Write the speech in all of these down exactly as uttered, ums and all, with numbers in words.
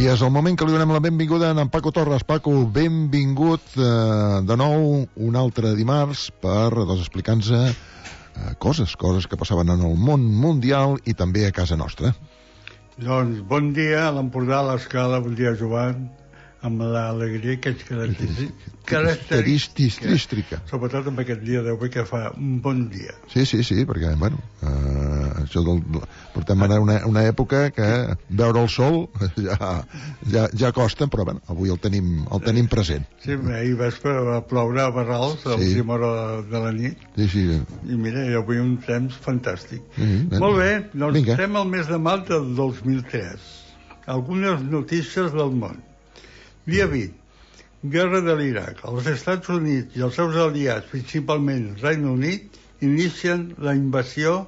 I és el moment que li donem la benvinguda a en Paco Torres. Paco, benvingut eh, de nou un altre dimarts per doncs, explicar-nos eh, coses, coses que passaven en el món mundial i també a casa nostra. Doncs bon dia a l'Empordà, a l'Escala, bon dia Joan, amb l'alegria que ets característica. Sobretot amb aquest dia d'avui que fa un bon dia. Sí, sí, sí, perquè, bueno, eh, això del, portem ara una, una època que veure el sol ja, ja, ja costa, però bueno, avui el tenim, el tenim present. Sí, ahir vespre va ploure a Barrals a sí. l'última hora de la nit. Sí, sí. I mira, avui un temps fantàstic. Sí, ben, Molt bé, doncs vinga. estem al mes de maig del dos mil tres. Algunes notícies del món. Dia vint. Guerra de l'Iraq. Els Estats Units i els seus aliats, principalment el Regne Unit, inicien la invasió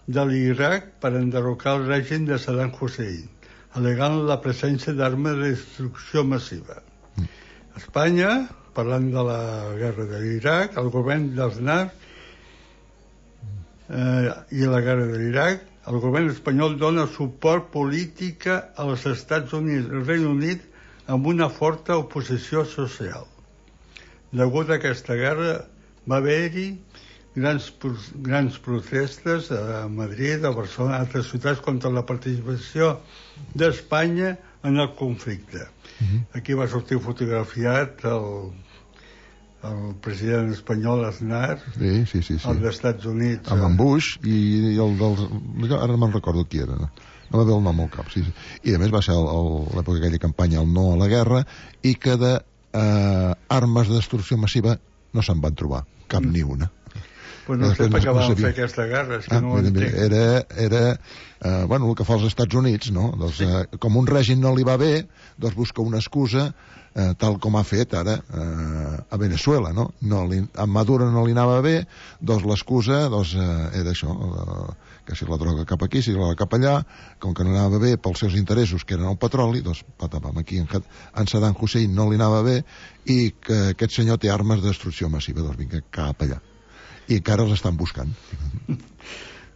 de l'Iraq per enderrocar el règim de Saddam Hussein, alegant la presència d'armes de destrucció massiva. Mm. Espanya, parlant de la guerra de l'Iraq, el govern d'Aznar eh, i la guerra de l'Iraq, el govern espanyol dona suport política als Estats Units i el Regne Unit amb una forta oposició social. Degut a aquesta guerra va haver-hi grans, grans protestes a Madrid, a Barcelona, a altres ciutats contra la participació d'Espanya en el conflicte. Uh-huh. Aquí va sortir fotografiat el, el president espanyol Aznar, sí, sí, sí, sí. el dels Estats Units. Amb en Bush i, i el dels... Ara no me'n recordo qui era, no? No va haver el nom al cap, sí, sí. I a més va ser l'època d'aquella campanya el no a la guerra i que de eh, armes de destrucció massiva no se'n van trobar, cap mm. ni una. Pues no sé per què van fer aquesta guerra, és que ah, no ho entenc. Era, era eh, bueno, el que fa els Estats Units, no? Doncs, sí. eh, com un règim no li va bé, doncs busca una excusa, eh, tal com ha fet ara eh, a Venezuela, no? no li, a Maduro no li anava bé, doncs l'excusa doncs, eh, era això, eh, que si la droga cap aquí, si la cap allà, com que no anava bé pels seus interessos, que eren el petroli, doncs patapam, aquí en, en Saddam Hussein no li anava bé i que aquest senyor té armes de destrucció massiva, doncs vinga, cap allà. I encara els estan buscant.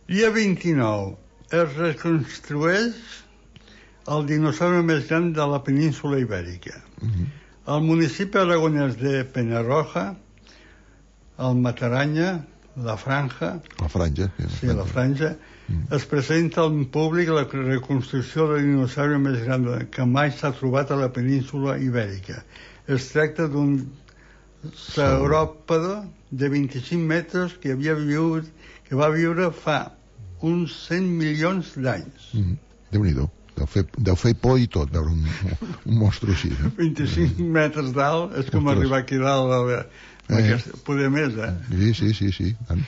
Dia vint-i-nou. Es reconstrueix el dinosaure més gran de la península ibèrica. Uh-huh. El municipi aragonès de Penarroja, el Mataranya, la Franja... La Franja. Sí, sí la Franja. Uh-huh. Es presenta al públic la reconstrucció del dinosaure més gran que mai s'ha trobat a la península ibèrica. Es tracta d'un sauròpode de vint-i-cinc metres que havia viure, que va viure fa uns cent milions d'anys. Mm-hmm. Déu-n'hi-do. Deu fer, deu fer por i tot veure un, un monstre així. Eh? vint-i-cinc metres d'alt és com Ostres. Arribar aquí dalt de, de eh. aquesta, poder més, eh? Sí, sí, sí, sí. Tant.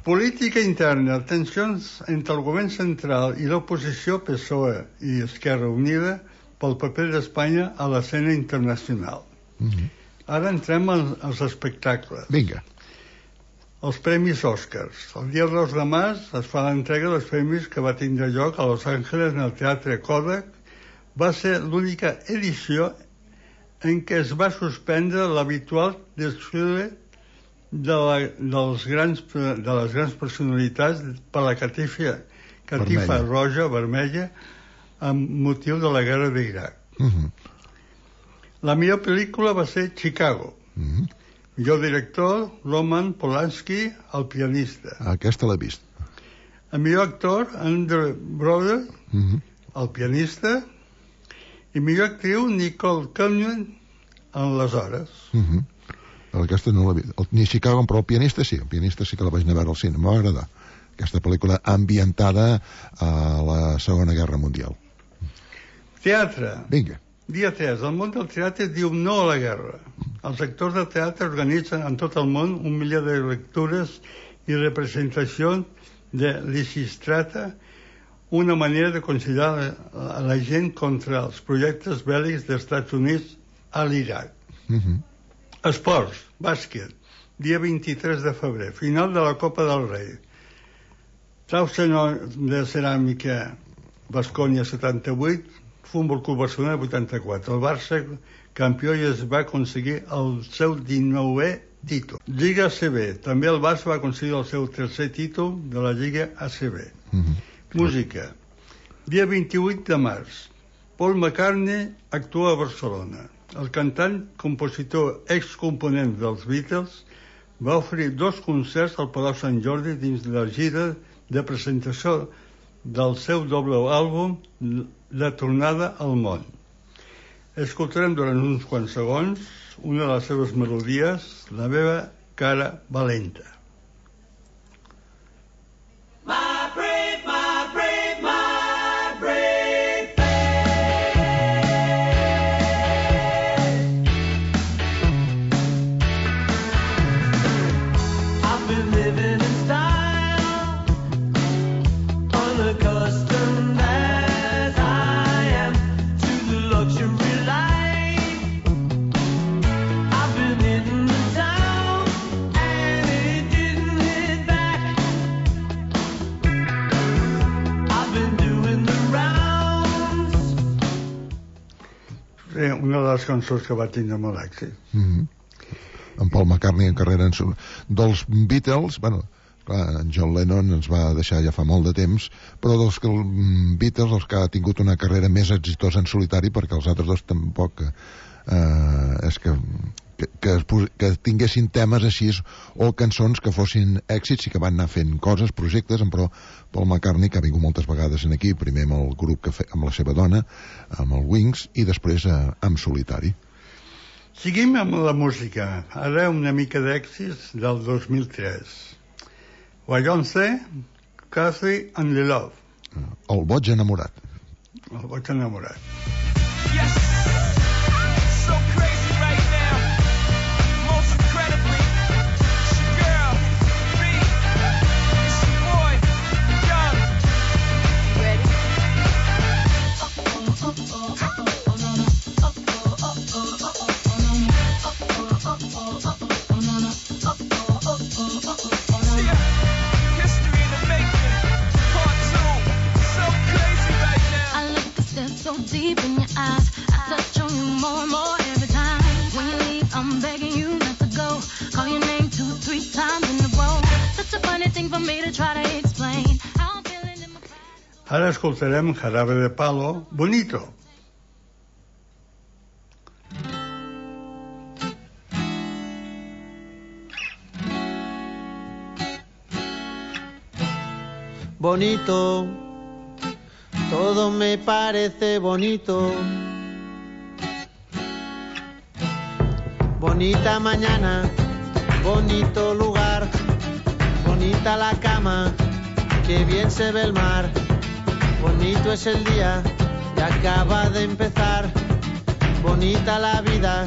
Política interna. Tensions entre el govern central i l'oposició P S O E i Esquerra Unida pel paper d'Espanya a l'escena internacional. Mm-hmm. Ara entrem als espectacles. Vinga. Els Premis Oscars. El dia dos de març es fa l'entrega dels premis que va tindre lloc a Los Angeles en el Teatre Kodak. Va ser l'única edició en què es va suspendre l'habitual desfile de, la, dels grans, de les grans personalitats per la catifa, catifa vermella. roja, vermella, amb motiu de la guerra d'Iraq. Uh-huh. La millor pel·lícula va ser Chicago. Uh-huh. Millor director, Roman Polanski, El pianista. Aquesta l'he vist. El millor actor, Andrew Brother, uh-huh. El pianista. I millor actriu, Nicole Kidman, en Les hores. Uh-huh. Aquesta no l'he vist. El, ni Chicago, però el pianista sí. El pianista sí que la vaig anar a veure al cine. M'va agradar. Aquesta pel·lícula ambientada a la Segona Guerra Mundial. Teatre. Vinga. Dia tres. El món del teatre diu no a la guerra. Els actors de teatre organitzen en tot el món un milió de lectures i representacions de Lisistrata, una manera de conciliar a la gent contra els projectes bèl·lics dels Estats Units a l'Iraq. Uh-huh. Esports, bàsquet, dia vint-i-tres de febrer, final de la Copa del Rei. Trau de ceràmica Baskonia setanta-vuit, Futbol Club Barcelona vuitanta-quatre. El Barça campió i es va aconseguir el seu dinou è títol. Lliga A C B. També el Barça va aconseguir el seu tercer títol de la Lliga A C B. Mm-hmm. Música. Dia vint-i-vuit de març. Paul McCartney actua a Barcelona. El cantant, compositor, excomponent dels Beatles, va oferir dos concerts al Palau Sant Jordi dins de la gira de presentació del seu doble àlbum La tornada al món. Escoltarem durant uns quants segons una de les seves melodies, La meva cara valenta. My brave, my brave, my brave I've been living in style, unaccustomed as I am to the luxury life. I've been in the town and it didn't hit back. I've been doing the rounds. Sí, una de les cançons que va tindre molt èxit. Mm-hmm. En Paul McCartney en carrera en sol... dels Beatles, bueno, clar, en John Lennon ens va deixar ja fa molt de temps, però dels que, mm, Beatles, els que ha tingut una carrera més exitosa en solitari, perquè els altres dos tampoc eh, és que, que, que, es pos... que tinguessin temes així o cançons que fossin èxits i que van anar fent coses, projectes, però Paul McCartney, que ha vingut moltes vegades en aquí, primer amb el grup que fe... amb la seva dona, amb el Wings, i després eh, amb solitari. Seguim amb la música. Ara una mica d'èxits del dos mil tres. Beyoncé, Cathy and the Love. El boig enamorat. El boig enamorat. Yes, so crazy right now. Most incredibly, it's your girl, me, it's your boy, Young. Ready? Yeah, history in the making, part two, so crazy right now. I look a step so deep in your eyes. I touch on you more and more every time. When you leave, I'm begging you not to go. Call your name two, three times in a row. Such a funny thing for me to try to explain. How I'm feeling in my pride. Ara escoltarem Jarabe de Palo, Bonito. Bonito, todo me parece bonito. Bonita mañana, bonito lugar, bonita la cama, que bien se ve el mar. Bonito es el día que acaba de empezar, bonita la vida.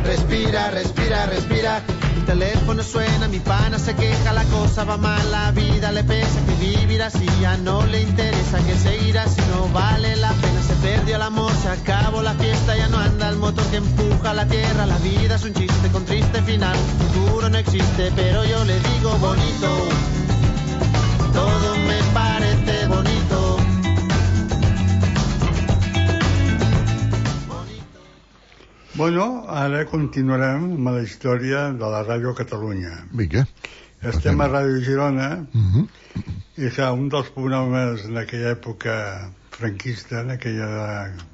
Respira, respira, respira. El teléfono suena, mi pana se queja, la cosa va mal, la vida le pesa, que vivir así ya no le interesa, que seguir así no vale la pena. Se perdió el amor, se acabó la fiesta, ya no anda el motor que empuja la tierra. La vida es un chiste con triste final, futuro no existe, pero yo le digo bonito. Todo me parece bonito. Bueno, ara continuarem amb la història de la Ràdio Catalunya. Vinga. Estem a Ràdio Girona, Uh-huh. i que un dels programes en aquella època franquista, en aquella de,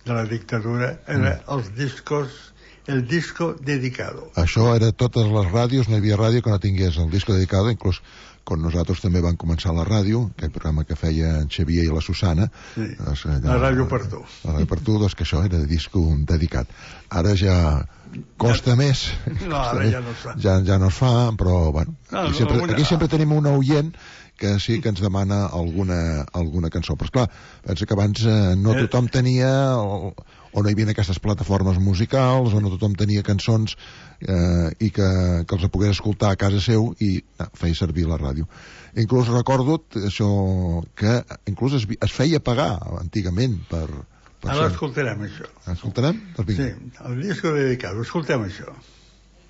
de la dictadura, era els discos, el disco dedicado. Això era totes les ràdios, no hi havia ràdio que no tingués el disco dedicado, inclús quan nosaltres també vam començar la ràdio, aquell programa que feia en Xavier i la Susana. Sí, doncs, la Ràdio per tu. La Ràdio per tu, doncs que això era de disco dedicat. Ara ja costa Ja- més. No, ara costa ja no es fa. Ja, ja no es fa, però bueno, No, aquí, no, sempre, alguna- aquí sempre tenim una oient que sí que ens demana alguna, alguna cançó. Però esclar, pensa que abans eh, no Eh. tothom tenia o, o no hi havia aquestes plataformes musicals, o no tothom tenia cançons eh, i que, que els pogués escoltar a casa seu i no, feia servir la ràdio. Inclús recordo això que inclús es, es feia pagar antigament per, per Ara ser. escoltarem això. Escoltarem? Doncs vinga. Sí, el disco dedicado, escoltem això.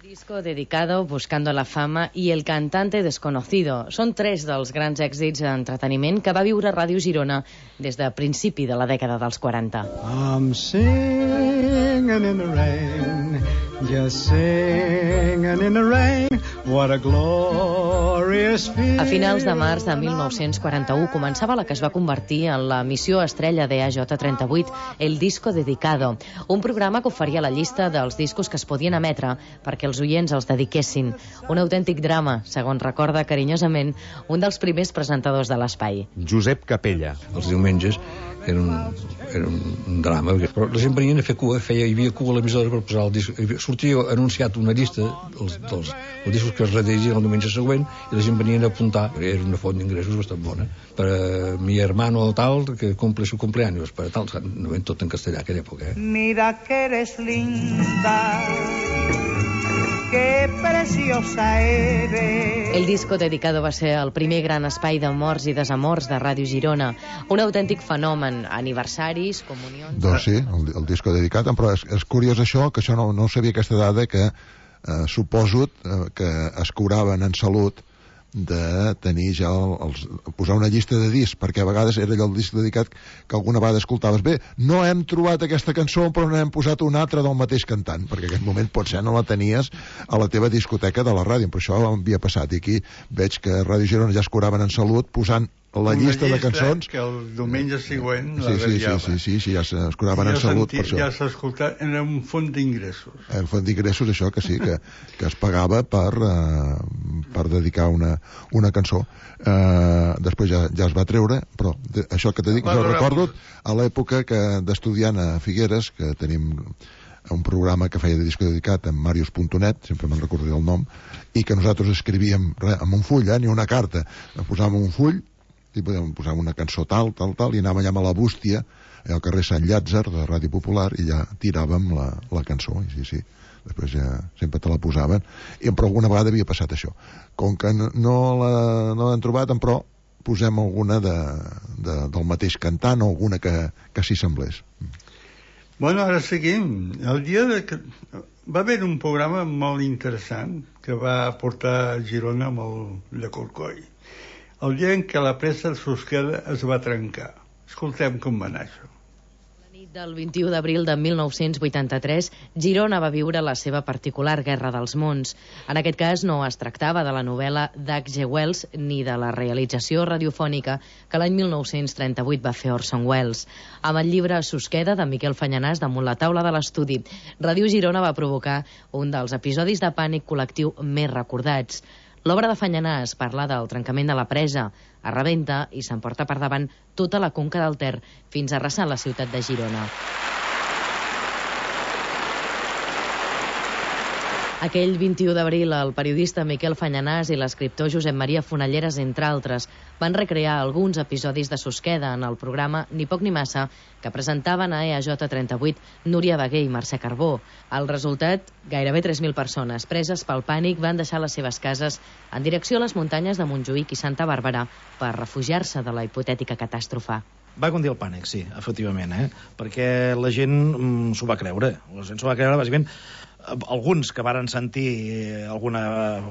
Disco dedicado, Buscando la fama i El cantante desconocido. Són tres dels grans èxits d'entreteniment que va viure Ràdio Girona des de principi de la dècada dels quaranta. I'm singing in the rain, just singing in the rain. What a glorious respire. A finals de març de mil nou-cents quaranta-u començava la que es va convertir en la missió estrella de A J trenta-vuit, El Disco Dedicado, un programa que oferia la llista dels discos que es podien emetre perquè els oients els dediquessin. Un autèntic drama, segons recorda carinyosament un dels primers presentadors de l'espai. Josep Capella. Els diumenges era un, era un drama, però la gent venien a fer cua, feia, hi havia cua a l'emissora per posar el disc. Sortia anunciat una llista dels, dels, dels discos que es redirigien el diumenge següent i la gent venia a apuntar. Era una font d'ingressos bastant bona. Per a mi hermano tal, que cumple su cumpleaños, per a tal, no ven tot en castellà aquella època. Eh? Mira que eres linda, qué preciosa eres. El Disco Dedicado va ser el primer gran espai d'amors i desamors de Ràdio Girona. Un autèntic fenomen, aniversaris, comunions... Doncs sí, el, el Disco Dedicat, però és, és curiós això, que això no, no sabia aquesta dada, que eh, suposo eh, que es cobraven en salut de tenir ja el, els, posar una llista de discs, perquè a vegades era allò el disc dedicat que alguna vegada escoltaves. Bé, no hem trobat aquesta cançó, però n'hem posat una altra del mateix cantant, perquè en aquest moment potser no la tenies a la teva discoteca de la ràdio, però això havia passat, i aquí veig que a Ràdio Girona ja es cobraven en salut posant la una llista, llista de cançons que el diumenge següent sí, la sí, ratllava. sí, sí, sí, sí, ja es cobraven en salut per això. Ja s'ha escoltat, era un font d'ingressos. El font d'ingressos, això que sí, que, que es pagava per, uh, per dedicar una, una cançó. Uh, després ja, ja es va treure, però de, això que t'he dit, jo recordo a l'època que d'estudiant a Figueres, que tenim un programa que feia de disco dedicat amb Marius punt net, sempre me'n recordaré el nom, i que nosaltres escrivíem res, amb un full, eh, ni una carta, posàvem un full i podem posar una cançó tal, tal, tal, i anàvem allà a la bústia, al carrer Sant Llàtzer de Ràdio Popular, i ja tiràvem la, la cançó, i sí, sí, després ja sempre te la posaven, i però alguna vegada havia passat això. Com que no, no l'han trobat, però posem alguna de, de, del mateix cantant o alguna que, que s'hi semblés. Bueno, ara seguim. El dia de... Va haver un programa molt interessant que va portar a Girona amb el de Corcoll. El dia en què la presa de Susqueda es va trencar. Escoltem com va anar això. La nit del vint-i-u d'abril de mil nou-cents vuitanta-tres, Girona va viure la seva particular Guerra dels Mons. En aquest cas no es tractava de la novel·la d'H G Wells ni de la realització radiofònica que l'any mil nou-cents trenta-vuit va fer Orson Welles. Amb el llibre Susqueda de Miquel Fanyanàs damunt la taula de l'estudi, Ràdio Girona va provocar un dels episodis de pànic col·lectiu més recordats. L'obra de Fanyanàs parla del trencament de la presa, es rebenta i s'emporta per davant tota la conca del Ter fins a arrasar la ciutat de Girona. Aquell vint-i-u d'abril, el periodista Miquel Fanyanàs i l'escriptor Josep Maria Fonalleres, entre altres, van recrear alguns episodis de Susqueda en el programa Ni poc ni massa, que presentaven a E A J trenta-vuit Núria Bagué i Mercè Carbó. El resultat, gairebé tres mil persones preses pel pànic van deixar les seves cases en direcció a les muntanyes de Montjuïc i Santa Bàrbara per refugiar-se de la hipotètica catàstrofe. Va condir el pànic, sí, efectivament, eh? Perquè la gent mm, s'ho va creure. La gent s'ho va creure, bàsicament, alguns que varen sentir algun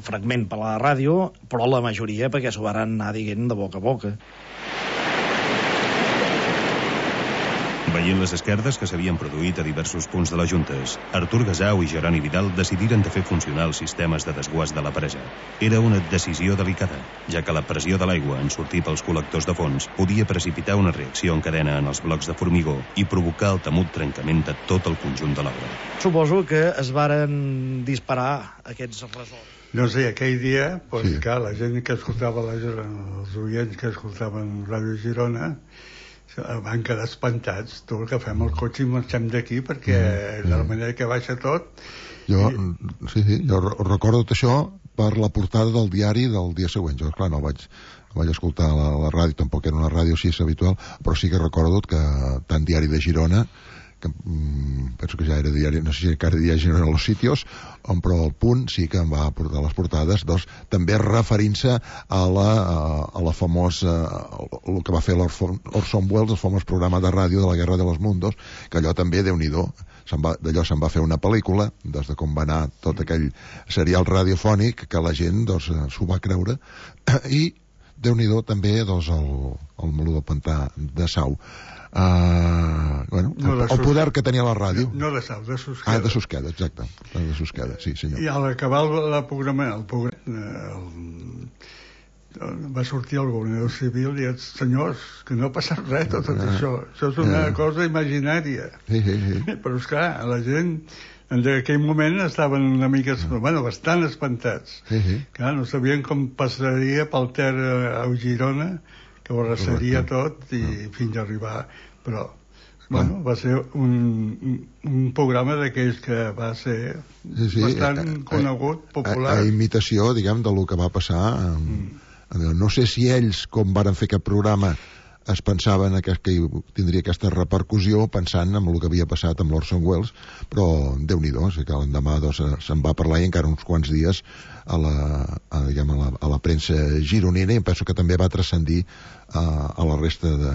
fragment per la ràdio, però la majoria perquè s'ho varen anar dient de boca a boca. Veient les esquerdes que s'havien produït a diversos punts de les juntes, Artur Gasau i Jeroni Vidal decidiren de fer funcionar els sistemes de desguàs de la presa. Era una decisió delicada, ja que la pressió de l'aigua en sortir pels col·lectors de fons podia precipitar una reacció en cadena en els blocs de formigó i provocar el temut trencament de tot el conjunt de l'obra. Suposo que es varen disparar aquests resorts. No sé, aquell dia, pues, sí. Clar, la gent que escoltava, la, els oients que escoltaven Ràdio Girona, van quedar espantats. Tu, que fem el cotxe i marxem d'aquí perquè mm, de la manera que baixa tot. Jo, i... sí, sí, jo recordo això per la portada del diari del dia següent. Jo, clar, no vaig, no vaig escoltar la, la ràdio, tampoc era una ràdio així habitual, però sí que recordo que tant Diari de Girona, que mm, penso que ja era diari, no sé si encara diari Girona a los sitios, on, però el Punt sí que em va portar les portades, doncs, també referint-se a la, a, a la famosa, el que va fer l'Orson Welles, el famós programa de ràdio de la Guerra de los Mundos, que allò també, Déu-n'hi-do, d'allò se'n va fer una pel·lícula, des de com va anar tot aquell serial radiofònic, que la gent doncs, s'ho va creure, i Déu-n'hi-do també doncs, el, el meló del pantà de Sau. Uh, bueno, no el, el poder que tenia la ràdio. No de Sau, de Susqueda. Ah, de Susqueda, exacte. De Susqueda, sí, senyor. I a l'acabar el, el programa, el programa el, va sortir el governador civil i els senyors, que no ha passat res tot, tot això, això és una cosa imaginària. Sí, sí, sí. Però esclar, la gent en aquell moment estaven una mica, bueno, bastant espantats. Sí, sí. Clar, no sabien com passaria pel Ter a Girona, que ho arrasaria tot i fins a arribar, però bueno, va ser un, un programa d'aquells que va ser sí, sí, bastant a, a, conegut, popular. A, a imitació, diguem, de lo que va passar. Mm. No sé si ells, com varen fer aquest programa, es pensaven que, que tindria aquesta repercussió pensant en el que havia passat amb l'Orson Welles, però Déu-n'hi-do, o sigui que l'endemà doncs, se'n va parlar i encara uns quants dies a la, a, diguem, a la, a la premsa gironina, i em penso que també va transcendir a, a la resta de,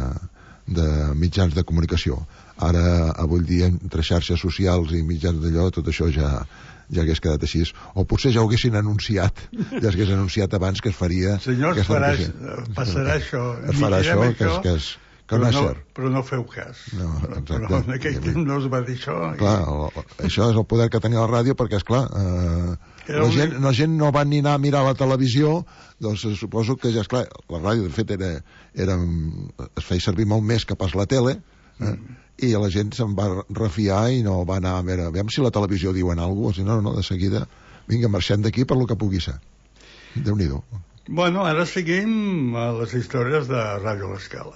de mitjans de comunicació. Ara, avui dia, entre xarxes socials i mitjans d'allò, tot això ja ja hagués quedat així, o potser ja ho haguessin anunciat, ja s'hagués anunciat abans que es faria... Senyors, farà, passarà això. Es farà això, que, és, que, és, que no és cert. Però no feu cas. No, exacte. Però en aquell temps no es va dir això. Clar, i... això és el poder que tenia la ràdio, perquè, esclar, eh, la, un... gent, la gent no va ni anar a mirar la televisió, doncs suposo que ja, esclar, la ràdio, de fet, era, era, es feia servir molt més que pas la tele, eh? Mm. I la gent se'n va refiar i no va anar a veure, aviam si la televisió diuen alguna cosa, no, no, de seguida vinga, marxem d'aquí per lo que pugui ser. Déu-n'hi-do. Bueno, ara seguim a les històries de Ràdio L'Escala.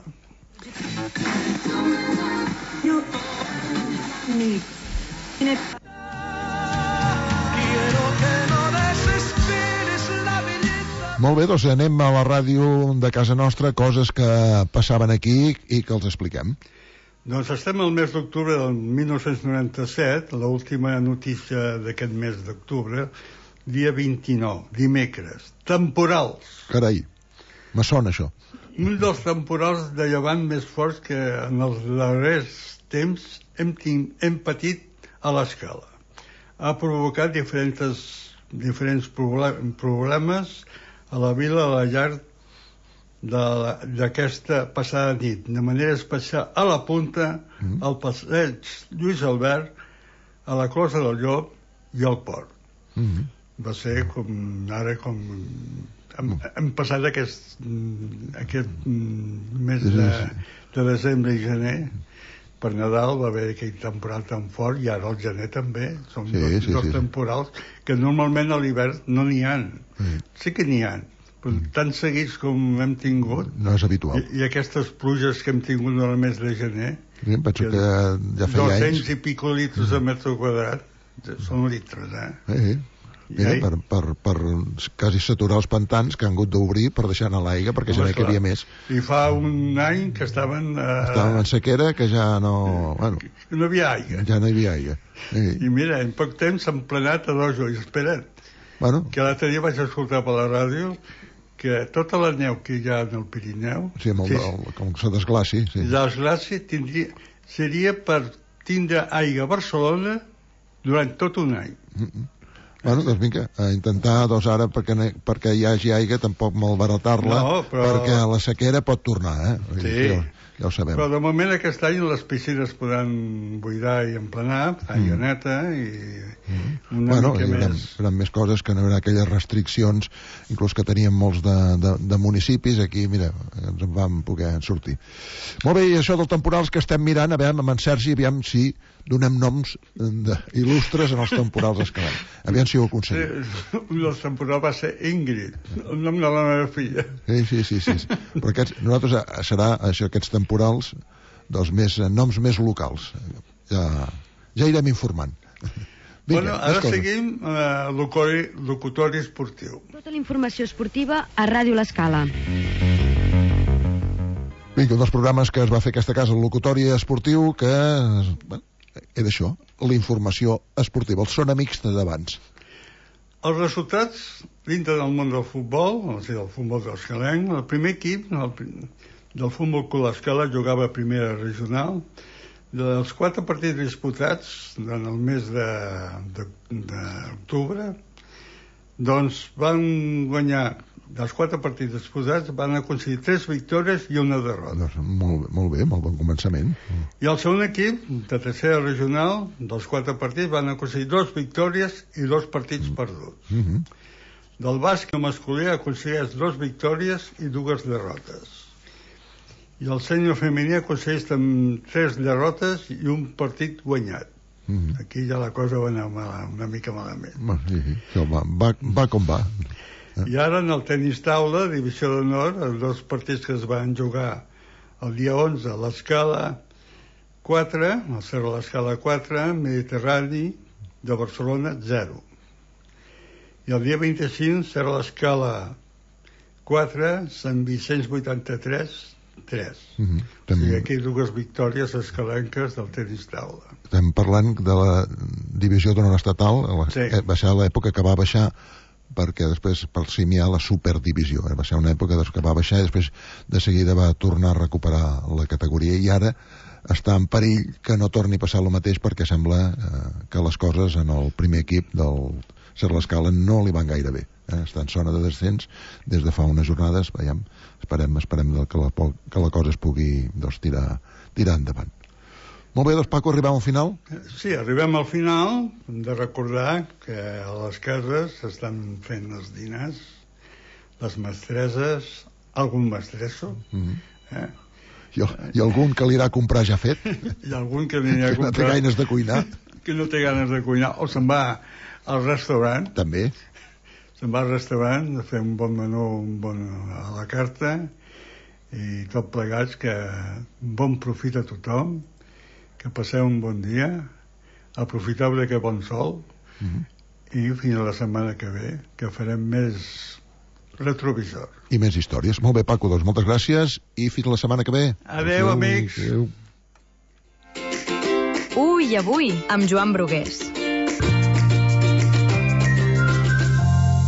Molt bé, doncs anem a la ràdio de casa nostra, coses que passaven aquí i que els expliquem. Doncs estem al mes d'octubre del mil nou-cents noranta-set, l'última notícia d'aquest mes d'octubre, dia vint-i-nou, dimecres. Temporals. Carai, me sona això. Un dels temporals de llevant més forts que en els darrers temps hem, hem patit a l'Escala. Ha provocat diferents, diferents problemes a la vila, a la llar d'aquesta passada nit, de manera especial a la Punta, mm. al passeig Lluís Albert, a la Closa del Llop i al Port. Mm. Va ser com ara com hem, hem passat aquest, aquest mes de, de desembre i gener. Per Nadal va haver aquell temporal tan fort, i ara el gener també. Són sí, dos, sí, dos sí. temporals que normalment a l'hivern no n'hi ha. Mm. Sí que n'hi ha, però tan seguits com hem tingut, no és habitual. I, i aquestes pluges que hem tingut en el mes de gener, sí, penso que, que ja feia dos-cents anys. i pico litres mm. a metre quadrat, són litres, eh? Sí, sí. Mira, per, per, per quasi saturar els pantans que han hagut d'obrir per deixar anar l'aigua, perquè ja no hi havia més. I fa un any que estaven... Eh, estaven en sequera, que ja no... Bueno, que no hi havia aigua. Ja no hi havia aigua. Sí. I mira, en poc temps s'han plenat a dojo, i espera't, bueno. que l'altre dia vaig escoltar per la ràdio que tota la neu que hi ha en el Pirineu... Sí, amb el, el, com se desglaci. Sí. La desglaci tindria, seria per tindre aigua a Barcelona durant tot un any. Mm-mm. Bueno, doncs vinga, a intentar, doncs ara, perquè, perquè hi hagi aigua, tampoc malbaratar-la, no, però... perquè la sequera pot tornar, eh? Sí, ja, ja ho sabem. Però de moment aquest any les piscines podran buidar i emplenar, aigua mm. neta i mm. una bueno, mica hi haurà, més... Hi haurà més coses, que no hi haurà aquelles restriccions, inclús que teníem molts de, de, de municipis, aquí, mira, ens en vam poder sortir. Molt bé, i això dels temporals que estem mirant, a veure, amb en Sergi, aviam si donem noms de, il·lustres en els temporals escalats. Aviam si ho aconseguim. Sí, un dels temporals va ser Ingrid, el nom de la meva filla. Sí, sí, sí. sí. Però aquests, nosaltres serà això, aquests temporals dels més, noms més locals. Ja, ja irem informant. Vinga, bueno, ara seguim uh, locutori, locutori esportiu. Tota la informació esportiva a Ràdio L'Escala. Vinga, un dels programes que es va fer aquesta casa, el locutori esportiu, que bueno, era això, la informació esportiva, els són amics d'abans. Els resultats dintre del món del futbol, o sigui, del futbol d'Escalenc, el primer equip el, del futbol Club L'Escala jugava a primera regional. Dels quatre partits disputats en el mes d'octubre, doncs van guanyar, dels quatre partits disputats, van aconseguir tres victòries i una derrota. Doncs molt, molt bé, molt bon començament. I el segon equip, de tercera regional, dels quatre partits, van aconseguir dos victòries i dos partits perduts. Mm-hmm. Del bàsquet masculí aconsegueix dues victòries i dues derrotes. I el sènior femení aconsegueix tres derrotes i un partit guanyat. Mm-hmm. Aquí ja la cosa va anar mala, una mica malament. Sí, sí, va, va, va com va. I ara en el tenis taula, divisió d'honor, els dos partits que es van jugar el dia onze a l'escala quatre, al Cerro de l'Escala quatre, Mediterrani de Barcelona zero. I el dia vint-i-cinc, Cerro de l'Escala quatre, Sant Vicenç vuitanta-tres tres. Mm-hmm. O sigui, aquí dues victòries escalenques del tenis taula. Estem parlant de la divisió d'honor estatal, la, sí. eh, va ser l'època que va baixar perquè després per cim hi ha la superdivisió, eh? Va ser una època que va baixar i després de seguida va tornar a recuperar la categoria i ara està en perill que no torni a passar el mateix perquè sembla eh, que les coses en el primer equip del Cerro de l'Escala no li van gaire bé. Eh? Està en zona de descens des de fa unes jornades, veiem, esperem, esperem que, la, que la cosa es pugui doncs, tirar, tirar endavant. Molt bé, doncs Paco, arribem al final? Sí, arribem al final. Hem de recordar que a les cases s'estan fent els dinars, les mestreses, algun mestresso, mm-hmm. eh? I, I algun que li irà a comprar ja fet? I algun que li irà a comprar... Que no té ganes de cuinar. Que no té ganes de cuinar, o se'n va al restaurant. També. Se'n va al restaurant a fer un bon menú, un bon a la carta, i tot plegats, que un bon profit a tothom, que passeu un bon dia, aprofitable que bon sol, mm-hmm. i fins a la setmana que ve, que farem més retrovisor. I més històries. Molt bé, Paco, doncs moltes gràcies i fins la setmana que ve. Adéu, amics. Adéu. Ui, avui, amb Joan Brugués.